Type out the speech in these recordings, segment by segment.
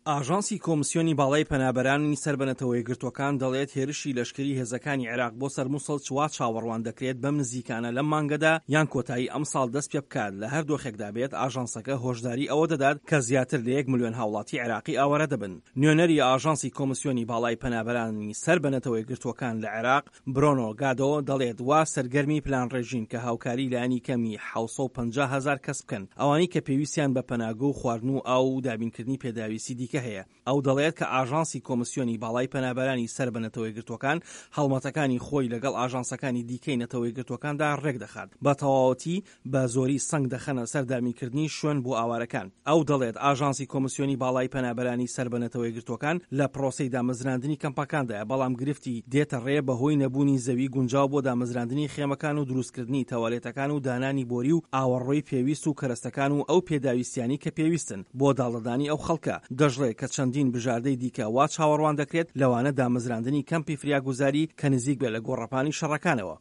ئاژانسی کۆمسیۆنی باڵای پەنابەرانی سەر بە نەتەوەیەکگرتووەکان دەڵێت هێرشی لەشکری هێزەکانی عێراق بۆ سەر موسڵ چ وا چاوەڕوان دەکرێت بەم نزیکانە لەم مانگەدا یان کۆتایی ئەمساڵ دەست پێبکات لە هەر دۆخێکدا بێت ئاژانسەکە هۆشداری ئەوە دەدات کە زیاتر لە یەک ملیۆن هاوڵاتی عێراقی ئاوارە دەبن. نوێنەری ئاژانسی کۆمسیۆنی باڵای پەنابەرانی سەر بە نەتەوەیەکگرتووەکان لە عێراق برۆنۆ گادۆ دەڵێت وا سەرگەرمی پلانڕێژین کە هاوکاری لایەنی کەمی 750 هەزار کەس بکەن، ئەوانەی کە پێویستیان بە پەناگە و خواردن و ئاو و دابینکردنی پێداویستی دیکە هەیە. ئەو دەڵێت کە ئاژانسی کۆمسیۆنی باڵای پەنابەرانی سەر بە نەتەوەیەکگرتووەکان هەڵمەتەکانی خۆی لەگەڵ ئاژانسەکانی دیکەی نەتەوەیەکگرتووەکاندا ڕێکدەخات بە تەواوەتی بە زۆری سەنگ دەخەنە سەر دابینکردنی شوێن بۆ ئاوارەکان. ئەو دەڵێت، ئاژانسی کۆمسیۆنی باڵای پەنابەرانی سەر بە نەتەوەیەکگرتووەکان لە پرۆسەی دامەزراندنی کەمپەکاندایە، بەڵام گرفتی دێتە ڕێ بەهۆی نەبوونی زەوی گونجاو بۆ دامەزراندنی خێمەکان و دروستکردنی تەوالێتەکان و دانانی بۆری و ئاوەڕۆی پێویست و کەرەستەکان و ئەو پێداویستیانەی کە پێویستن بۆ داڵدەدانی ئەو خەڵکە. دەشڵێ کە چەندین بژاردەی دیکە وا چاوەڕوان دەکرێت، لەوانە دامەزراندنی کەمپی فریاگوزاری کە نزیک بێت لە گۆڕەپانی شەڕەکانەوە.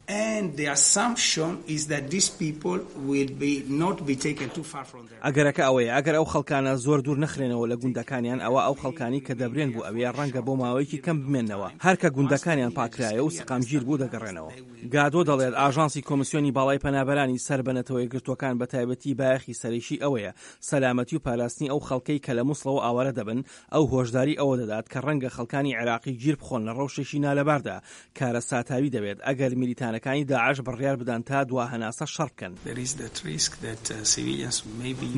ئەگەرەکە ئەوەیە ئەگەر ئەو خەڵکانە زۆر دوور نەخرێنەوە لە گوندەکانیان ئەوا ئەو خەڵکانەی کە دەبرێن بۆ ئەوێ ڕەنگە بۆ ماوەیەکی کەم بمێننەوە هەر کە گوندەکانیان پاککرایەوە و سەقامگیر بوو دەگەڕێنەوە. گادۆ دەڵێت ئاژانسی کۆمسیۆنی باڵای پەنابەرانی سەر بە نەتەوەیەکگرتووەکان بە تایبەتی بایەخی سەرەکی ئەوەیە سەلامەتی و پاراستنی ئەو خەڵکەی کە لە موسڵەوە ئاوارە دەبن، ئەو هۆشداری ئەوە دەدات کە ڕەنگە خەڵکانی عێراقی گیر بخۆن لە ڕەوشێکی نالەباردا کارەساتاوی دەبێت ئەگەر میلیتانەکانی داعش بڕیار بدەن تا دوا هەناسە شەڕ بکەن.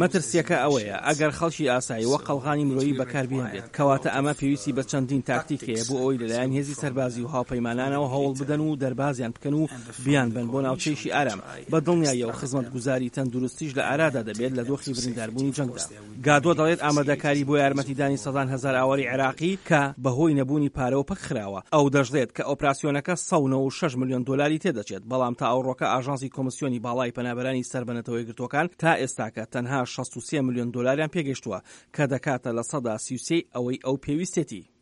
مەترسییەکە ئەوەیە ئەگەر خەڵکی ئاسایی وەک قەڵغانی مرۆیی بەکاربهێنرێت، کەواتە ئەمە پێویستی بە چەندین تاکتیک هەیە بۆ ئەوەی لەلایەن هێزی سەربازی و هاوپەیمانانەوە هەوڵ بدەن و دەربازیان بکەن و بیانبەن بۆ ناوچەیەکی ئارام، بە دڵنیاییەوە خزمەتگوزاری تەندروستیش لە ئارادا دەبێت لە دۆخی برینداربوونی جەنگدا. گادۆ دەڵێت ئامادەکاری بۆ یارمەتیدانی سەدان هەزار ئاوارەی عێراقی کە بەهۆی نەبوونی پارەوە پەکخراوە. ئەو دەشڵێت کە ئۆپراسیۆنەکە 196 ملیۆن دۆلاری تێدەچێت، بەڵام تا ئەوڕۆکە ئاژانسی کۆمسیۆنی باڵای پەنابەرانی سەر بە نەتەوەیەکگرتووەکان تا ئێستاکە تەنها 63 ملیۆن دۆلاریان پێگەیشتووە کە دەکاتە 33% ی ئەوەی ئەو پێویستێتی.